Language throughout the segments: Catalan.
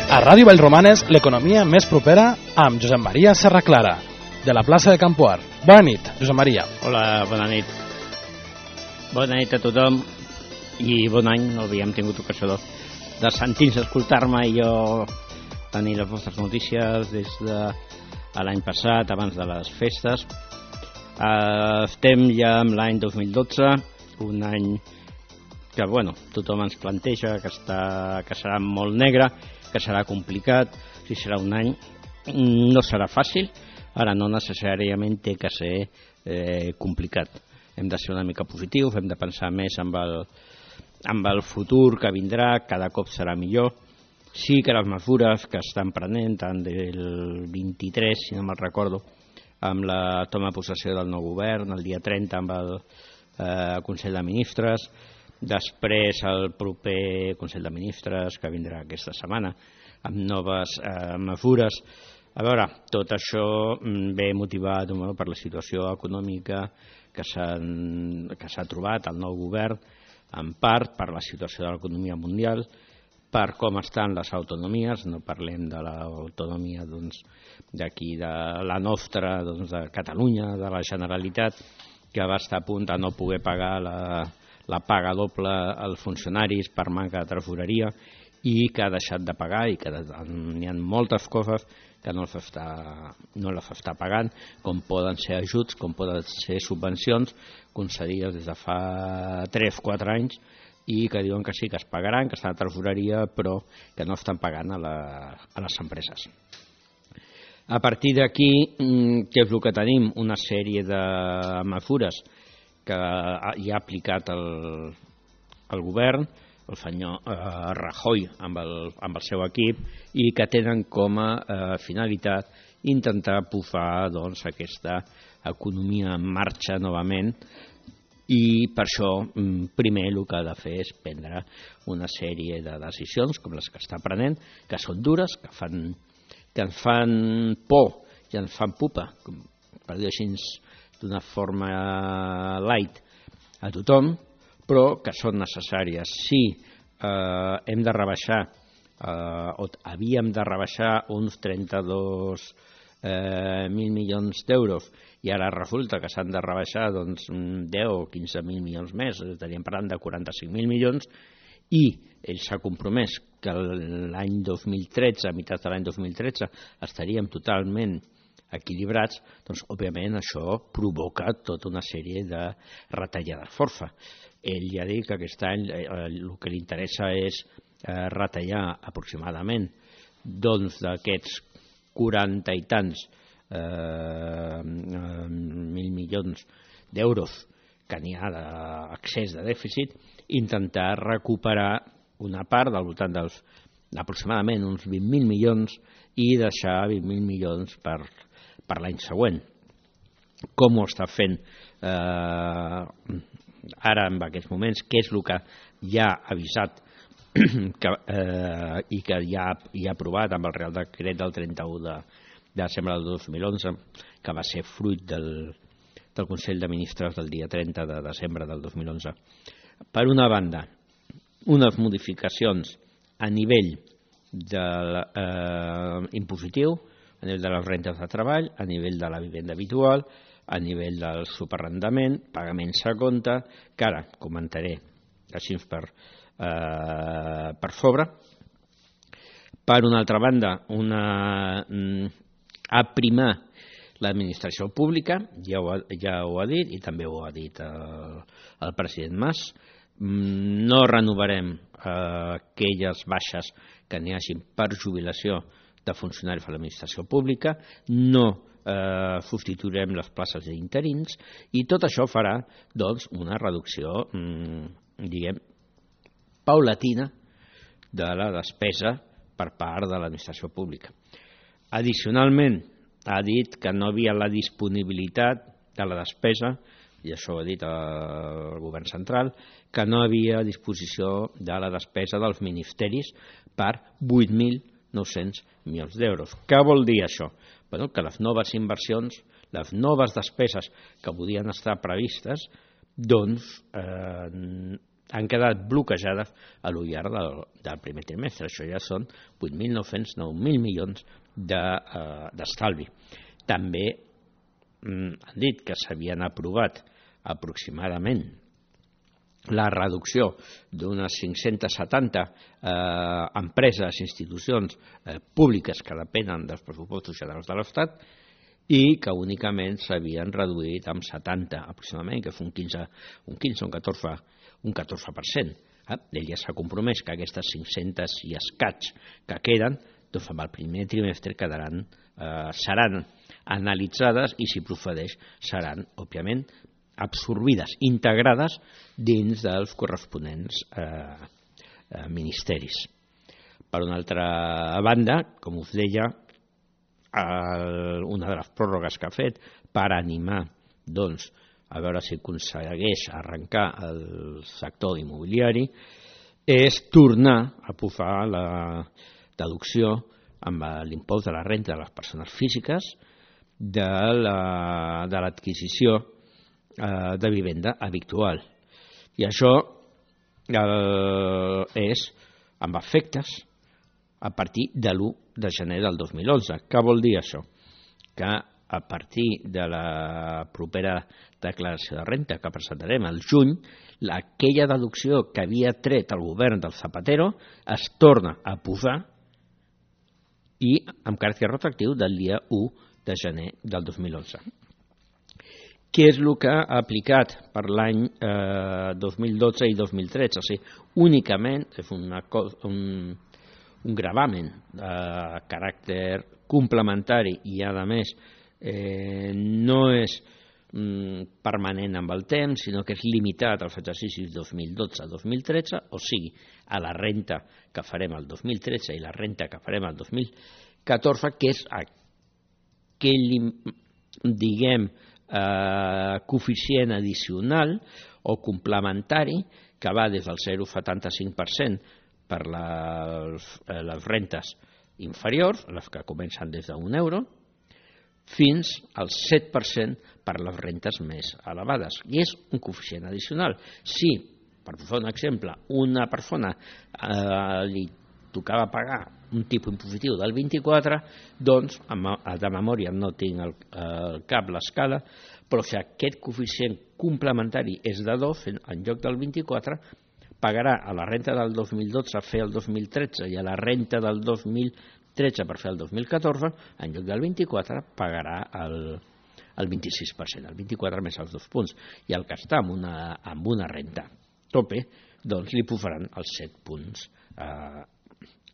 A Ràdio Vallromanes, l'economia més propera amb Josep Maria Serraclara, de la plaça de Campoar. Bona nit, Josep Maria. Hola, bona nit. Bona nit a tothom i bon any. No havíem tingut ocasió de sentir-nos, escoltar-me i jo tenir les vostres notícies des de l'any passat, abans de les festes. Estem ja amb l'any 2012, un any que tothom ens planteja que serà molt negre, que serà complicat, si serà un any no serà fàcil. Ara no necessàriament té que ser complicat. Hem de ser una mica positius, hem de pensar més amb el futur que vindrà, cada cop serà millor. Sí que les mesures que estan prenent, tant del 23, si no me'n recordo, amb la toma de possessió del nou govern, el dia 30 amb el Consell de Ministres, després el proper Consell de Ministres que vindrà aquesta setmana amb noves mesures. A veure, tot això ve motivat per la situació econòmica que s'ha trobat el nou govern, en part per la situació de l'economia mundial, per com estan les autonomies. No parlem de l'autonomia d'aquí, de la nostra, de Catalunya, de la Generalitat, que va estar a punt de no poder pagar la paga doble als funcionaris per manca de tresoreria i que ha deixat de pagar, i que hi ha moltes coses que no les està pagant, com poden ser ajuts, com poden ser subvencions concedides des de fa 3-4 anys i que diuen que sí, que es pagaran, que estan a tresoreria, però que no estan pagant a les empreses. A partir d'aquí, què és el que tenim? Una sèrie de mesures que hi ha aplicat el govern, el senyor Rajoy amb el seu equip, i que tenen com a finalitat intentar posar aquesta economia en marxa novament. I per això, primer, el que ha de fer és prendre una sèrie de decisions, com les que està prenent, que són dures, que ens fan por i ens fan pupa, per dir així d'una forma light, a tothom, però que són necessàries. Si hem de rebaixar, o havíem de rebaixar uns 32.000 milions d'euros, i ara resulta que s'han de rebaixar 10 o 15.000 milions més, estaríem parlant de 45.000 milions, i ell s'ha compromès que l'any 2013, a meitat de l'any 2013, estaríem totalment equilibrats, doncs òbviament això provoca tota una sèrie de retallades força. Ell ja ha dit que aquest any el que li interessa és retallar aproximadament d'aquests 40 i tants mil milions d'euros que n'hi ha d'excés de dèficit, intentar recuperar una part del voltant d'aproximadament uns 20.000 milions i deixar 20.000 milions per l'any següent. Com ho està fent ara en aquests moments? Què és el que ja ha avisat i que ja ha aprovat amb el Real Decret del 31 de desembre del 2011, que va ser fruit del Consell de Ministres del dia 30 de desembre del 2011. Per una banda, unes modificacions a nivell impositiu, a nivell de les rentes de treball, a nivell de la vivenda habitual, a nivell del superarrendament, pagaments a compte, que ara comentaré així per sobre. Per una altra banda, aprimar l'administració pública, ja ho ha dit, i també ho ha dit el president Mas. No renovarem aquelles baixes que n'hi hagin per jubilació de funcionaris a l'administració pública, no substituirem les places d'interins, i tot això farà una reducció, paulatina de la despesa per part de l'administració pública. Addicionalment, ha dit que no havia la disponibilitat de la despesa, i això ho ha dit el govern central, que no havia disposició de la despesa dels ministeris per 8.900 milions d'euros. Què vol dir això? Que les noves inversions, les noves despeses que podien estar previstes, han quedat bloquejades a lo llarg del primer trimestre. Això ja són 8.900, 9.000 milions d'estalvi. També han dit que s'havien aprovat aproximadament la reducció d'unes 570 empreses, institucions públiques que depenen dels pressupostos generals de l'Estat i que únicament s'havien reduït amb 70 aproximadament, que és un 15 o un 14%. Ell ja s'ha compromès que aquestes 500 i escaig que queden, doncs amb el primer trimestre seran analitzades i, si procedeix, seran, òbviament, absorbides, integrades dins dels corresponents ministeris. Per una altra banda, com us deia, una de les pròrrogues que ha fet per animar, doncs, a veure si aconsegueix arrencar el sector immobiliari, és tornar a posar la deducció amb l'impost de la renta de les persones físiques de l'adquisició de vivenda habitual. I això és amb efectes a partir de l'1 de gener del 2011. Què vol dir això? Que a partir de la propera declaració de renta que presentarem al juny, aquella deducció que havia tret el govern del Zapatero es torna a posar i amb caràcter retroactiu del dia 1 de gener del 2011. Què és el que ha aplicat per l'any 2012 i 2013? O sigui, únicament és un gravamen de caràcter complementari i, a més, no és permanent amb el temps, sinó que és limitat als exercicis 2012-2013, o sigui, a la renta que farem el 2013 i la renta que farem el 2014, que és aquell, diguem, coeficient addicional o complementari que va des del 0,75% per les rentes inferiors, les que comencen des d'1 euro, fins al 7% per les rentes més elevades. I és un coeficient addicional. Si, per posar un exemple, una persona li tocava pagar un tipus impositiu del 24, doncs, de memòria no tinc al cap l'escala, però si aquest coeficient complementari és de 2, en lloc del 24, pagarà a la renta del 2012 a fer el 2013 i a la renta del 2013 per fer el 2014, en lloc del 24, pagarà el 26%, el 24 més els 2 punts. I el que està amb una renta tope, doncs li posaran els 7 punts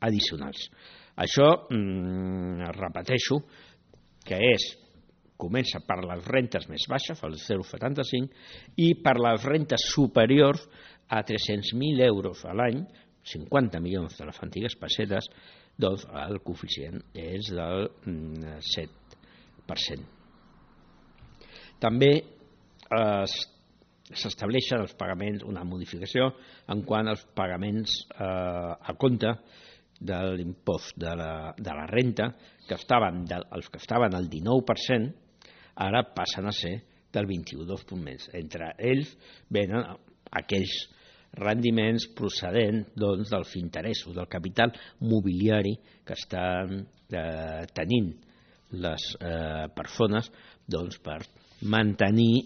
addicionals. Això, repeteixo, que comença per les rentes més baixes, el 0,75, i per les rentes superiors a 300.000 euros a l'any, 50 milions de les antigues pessetes, doncs el coeficient és del 7%. També s'estableixen els pagaments, una modificació en quant als pagaments a compte de l'impost de la renta, que els que estaven al 19%, ara passen a ser del 21,2%. Entre ells venen aquells rendiments procedents dels interessos, del capital mobiliari que estan tenint les persones per mantenir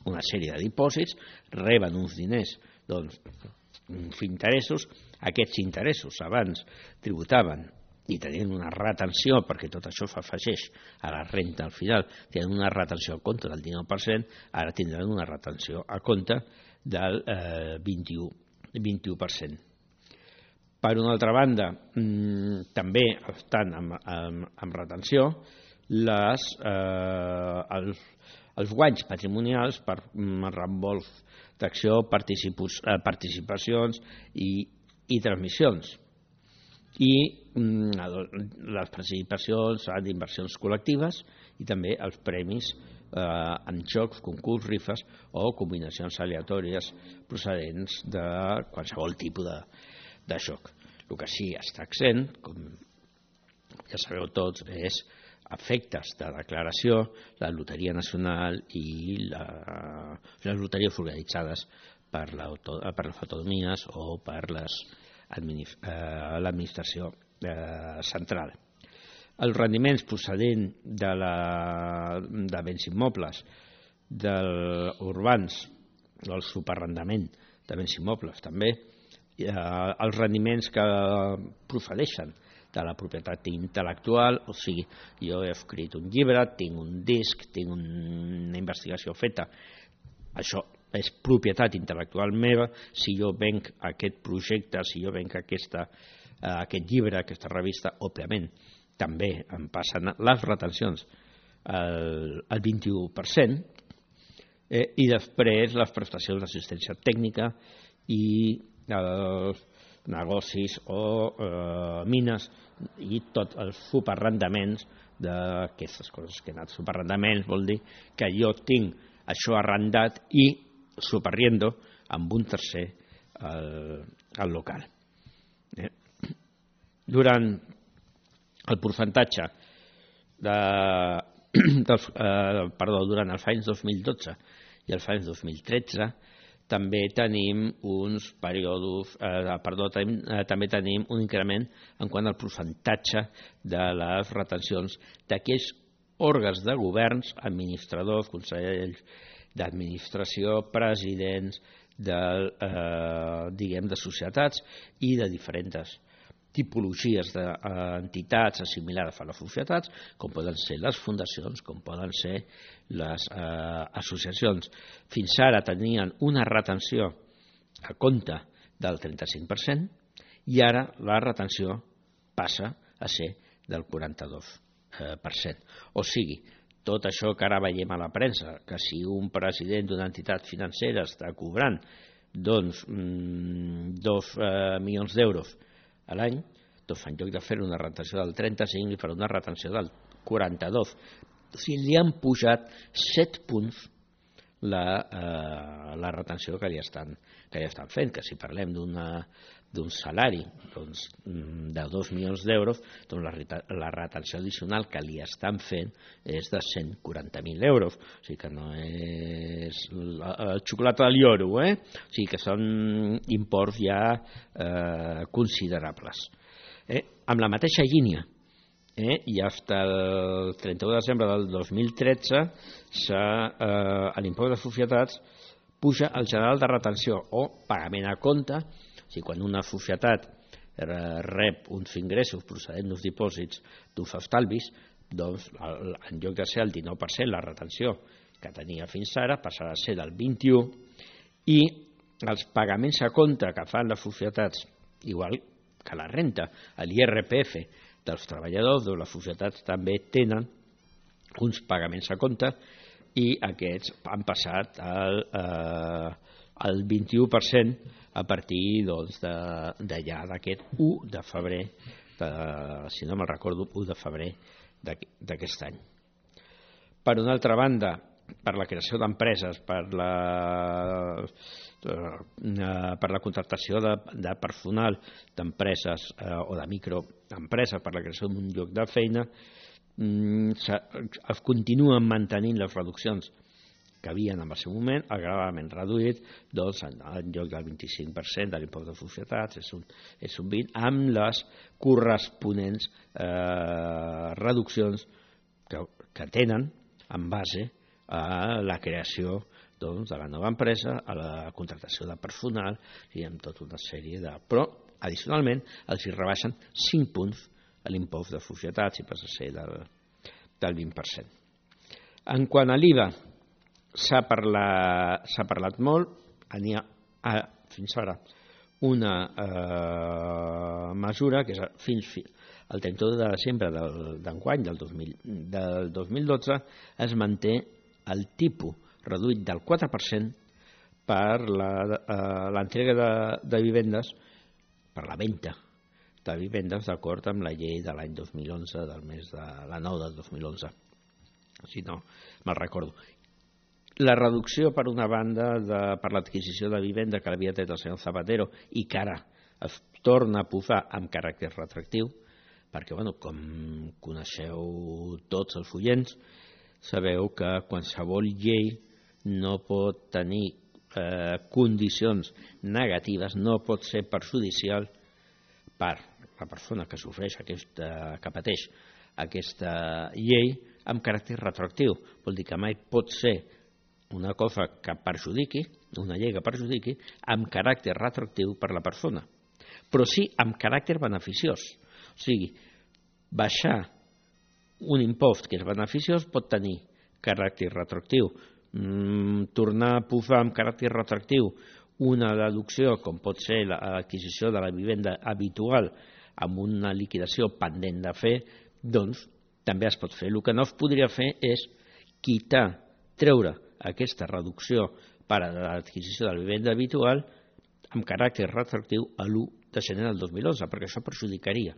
una sèrie de dipòsits, reben uns diners, uns interessos. Aquests interessos abans tributaven i tenien una retenció, perquè tot això s'afegeix a la renta al final, tenen una retenció a compte del 19%, ara tindran una retenció a compte del 21%. Per una altra banda, també estan amb retenció els guanys patrimonials per reembols d'acció, participacions i transmissions, i les participacions d'inversions col·lectives i també els premis en jocs, concurs, rifes o combinacions aleatòries procedents de qualsevol tipus de joc. El que sí està exempt, com ja sabeu tots, és efectes de declaració, la Loteria Nacional i les loteries organitzades per les autonomies o per l'administració central. Els rendiments procedents de béns immobles urbans, el superarrendament de béns immobles també, els rendiments que procedeixen de la propietat intel·lectual, o sigui, jo he escrit un llibre, tinc un disc, tinc una investigació feta, això és propietat intel·lectual meva. Si jo venc aquest projecte, si jo venc aquest llibre, aquesta revista, òbviament també em passen les retencions al 21%, i després les prestacions d'assistència tècnica i els negocis o mines i tots els subarrendaments d'aquestes coses que he anat. Subarrendaments vol dir que jo tinc això arrendat i subarriendo amb un tercer al local. Durant el percentatge durant els anys 2012 i els anys 2013 també tenim també tenim un increment en quant al percentatge de les retencions d'aquells òrgans de governs, administradors, consells d'administració, presidents de societats i de diferents tipologies d'entitats assimilades a les societats, com poden ser les fundacions, com poden ser les associacions. Fins ara tenien una retenció a compte del 35% i ara la retenció passa a ser del 42%. O sigui, tot això que ara veiem a la premsa, que si un president d'una entitat financera està cobrant 2 milions d'euros a l'any, doncs en lloc de fer una retenció del 35 li farà una retenció del 42. O sigui, li han pujat 7 punts la retenció que li estan fent, que si parlem d'un salari de 2 milions d'euros, doncs la retenció addicional que li estan fent és de 140.000 euros. O sigui que no és el xocolata del lloro, O sigui que són imports ja considerables. Amb la mateixa línia, i fins el 31 de desembre del 2013 l'impost de societats puja el general de retenció o pagament a compte. O sigui, quan una societat rep uns ingressos procedents dels dipòsits d'uns estalvis, doncs en lloc de ser el 19% la retenció que tenia fins ara passarà a ser del 21%, i els pagaments a compte que fan les societats, igual que la renta, l'IRPF dels treballadors de les societats també tenen uns pagaments a compte i aquests han passat al 21% a partir d'allà d'aquest 1 de febrer, si no me'n recordo, 1 de febrer d'aquest any. Per una altra banda, per la creació d'empreses, per la contractació de personal d'empreses o de microempreses, per la creació d'un lloc de feina, es continuen mantenint les reduccions que havien en el seu moment, el gravament reduït, doncs en lloc del 25% de l'impost de societats és un 20%, amb les corresponents reduccions que tenen en base a la creació de la nova empresa, a la contractació de personal i amb tota una sèrie de... Però, addicionalment, els hi rebaixen 5 punts a l'impost de societats i passa a ser del 20%. En quant a l'IVA, s'ha parlat molt, n'hi ha fins ara una mesura que és fins al 31 de desembre d'enguany, del 2012, es manté el tipus reduït del 4% per l'entrega de vivendes, per la venda de vivendes d'acord amb la llei de l'any 2011, del mes de la 9 del 2011, si no me'l recordo. La reducció, per una banda, per l'adquisició de vivenda que l'havia tret el senyor Zapatero i que ara es torna a posar amb caràcter retractiu, perquè, com coneixeu tots els oients, sabeu que qualsevol llei no pot tenir condicions negatives no pot ser perjudicial per la persona que sofreix que pateix aquesta llei amb caràcter retroactiu. Vol dir que mai pot ser una cosa que perjudiqui, una llei que perjudiqui, amb caràcter retroactiu per la persona, però sí amb caràcter beneficiós. O sigui, baixar un impost que és beneficiós pot tenir caràcter retroactiu. Tornar a posar amb caràcter retroactiu una deducció, com pot ser l'adquisició de la vivenda habitual amb una liquidació pendent de fer, doncs també es pot fer. El que no es podria fer és treure aquesta reducció per a l'adquisició de la vivenda habitual amb caràcter retroactiu a l'1 de gener del 2011, perquè això perjudicaria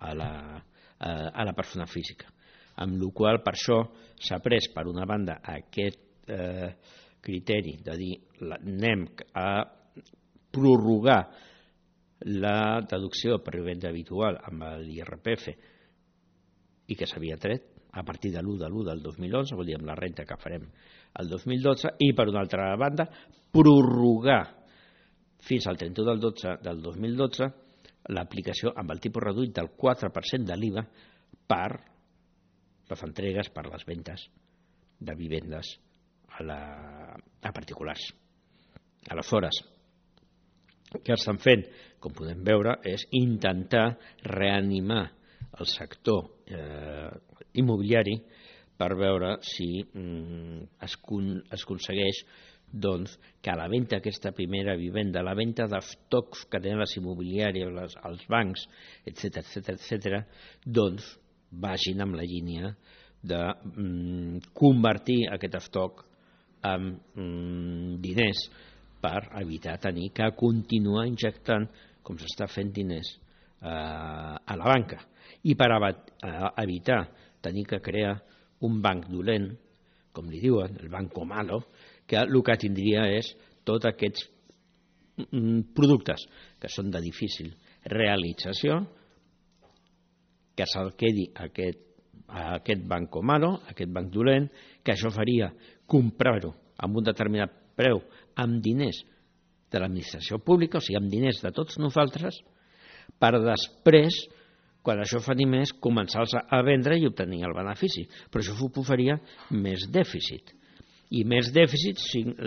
a la persona física. Amb la qual per això s'ha pres, per una banda, aquest criteri de dir anem a prorrogar la deducció per vivenda habitual amb l'IRPF i que s'havia tret a partir de l'1 del 2011, vol dir amb la renta que farem el 2012, i per una altra banda prorrogar fins al 31 del 12 del 2012 l'aplicació amb el tipus reduït del 4% de l'IVA per les entregues, per les ventes de vivendes a particulars. Aleshores, què estan fent? Com podem veure, és intentar reanimar el sector immobiliari per veure si es aconsegueix doncs, que la venda d'aquesta primera vivenda, la venda dels tocs que tenen les immobiliàries, els bancs, etc., doncs vagin amb la línia de convertir aquest estoc en diners per evitar tenir que continuar injectant, com s'està fent, diners a la banca. I per evitar tenir que crear un banc dolent, com li diuen, el banco malo, que el que tindria és tots aquests productes que són de difícil realització, que se'l quedi aquest banco malo, aquest banc dolent, que això faria comprar-ho amb un determinat preu amb diners de l'administració pública, o sigui, amb diners de tots nosaltres, per després, quan això fa diners, començar-los a vendre i obtenir el benefici. Però això suposaria més dèficit. I més dèficit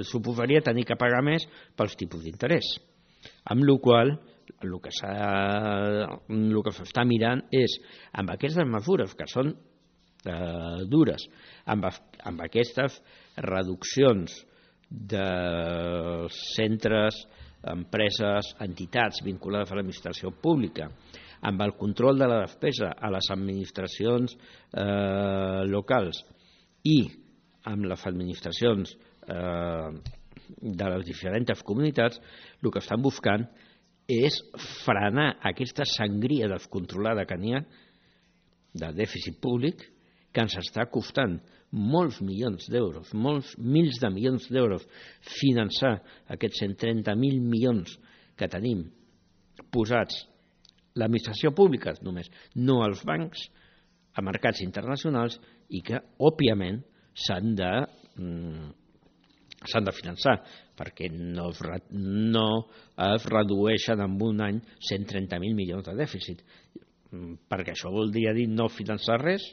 suposaria tenir que pagar més pels tipus d'interès. Amb la qual cosa el que s'està mirant és, amb aquestes mesures que són dures, amb aquestes reduccions de centres, empreses, entitats vinculades a l'administració pública, amb el control de la despesa a les administracions locals i amb les administracions de les diferents comunitats, el que estan buscant és frenar aquesta sangria descontrolada que n'hi ha de dèficit públic, que ens està costant molts milions d'euros, molts mils de milions d'euros, finançar aquests 130.000 milions que tenim posats l'administració pública només, no els bancs, a mercats internacionals, i que, òbviament, s'han de finançar, perquè no es redueixen en un any 130.000 milions de dèficit, perquè això voldria dir no finançar res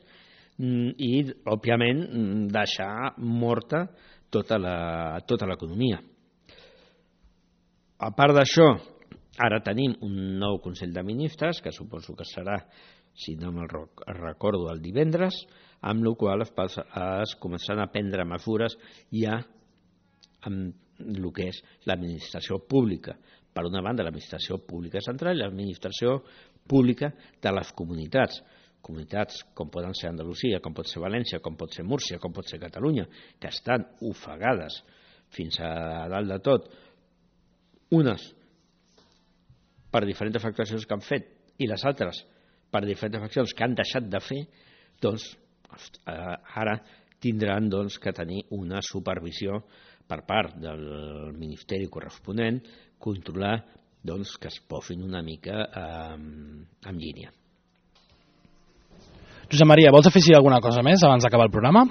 i, òbviament, deixar morta tota l'economia. A part d'això, ara tenim un nou Consell de Ministres, que suposo que serà, si no me'n recordo, el divendres, amb la qual es començaran a prendre mesures ja amb el que és l'administració pública. Per una banda, l'administració pública central i l'administració pública de les comunitats. Comunitats com poden ser Andalusia, com pot ser València, com pot ser Múrcia, com pot ser Catalunya, que estan ofegades fins a dalt de tot, unes per diferents actuacions que han fet i les altres per diferents accions que han deixat de fer, doncs ara tindran que tenir una supervisió per part del Ministeri corresponent, controlar que es posin una mica en línia. Josep Maria, vols afegir alguna cosa més abans d'acabar el programa?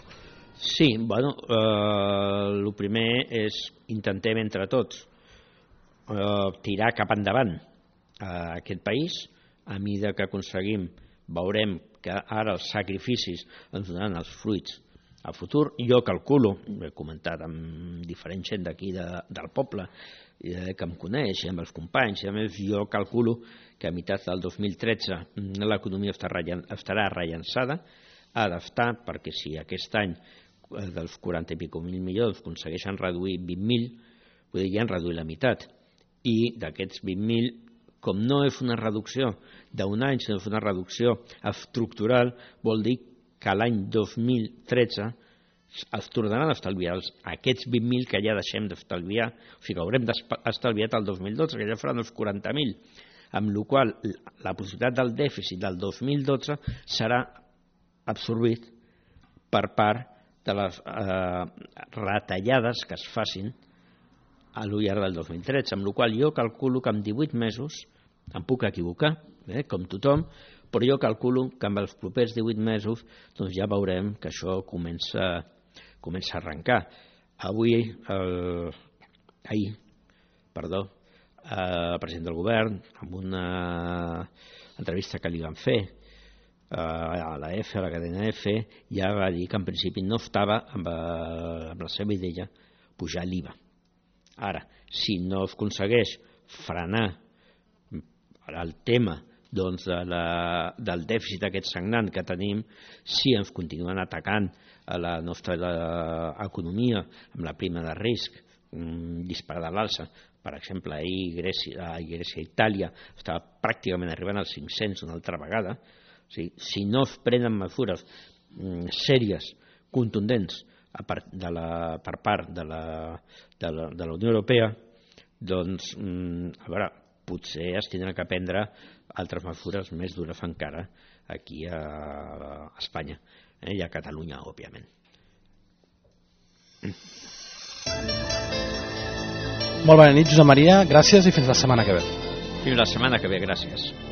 Sí, bueno, el primer és intentem entre tots tirar cap endavant aquest país. A mesura que aconseguim, veurem que ara els sacrificis ens donaran els fruits al futur. Jo calculo, ho he comentat amb diferent gent d'aquí del poble que em coneix, amb els companys, a més jo calculo que a meitat del 2013 l'economia estarà rellançada, adaptar, perquè si aquest any dels 40 i pico mil milions aconsegueixen reduir 20.000, vull dir, ja han reduït la meitat. I d'aquests 20.000, com no és una reducció d'un any, sinó és una reducció estructural, vol dir que l'any 2013 es tornaran a estalviar aquests 20.000 que ja deixem d'estalviar, o sigui que haurem estalviat el 2012, que ja faran els 40.000, amb la qual la possibilitat del dèficit del 2012 serà absorbit per part de les retallades que es facin a llarg del 2013, amb la qual jo calculo que en 18 mesos, em puc equivocar, com tothom, però jo calculo que amb els propers 18 mesos doncs ja veurem que això comença a arrencar. Ahir, el president del govern, en una entrevista que li van fer a la EFE, a la cadena EFE, ja va dir que en principi no estava amb la seva idea pujar l'IVA. Ara, si no es aconsegueix frenar el tema del dèficit aquest sagnant que tenim, si ens continuen atacant a la nostra economia amb la prima de risc disparada a l'alça, per exemple, ahir Grècia i Itàlia estava pràcticament arribant als 500 una altra vegada. O sigui, si no es prenen mesures sèries, contundents per part de la Unió Europea, doncs, a veure, potser es tindran que prendre altres mesures més dures encara aquí a Espanya i a Catalunya, òbviament. Molt bona nit, Josep Maria, gràcies i fins la setmana que ve. Fins la setmana que ve, gràcies.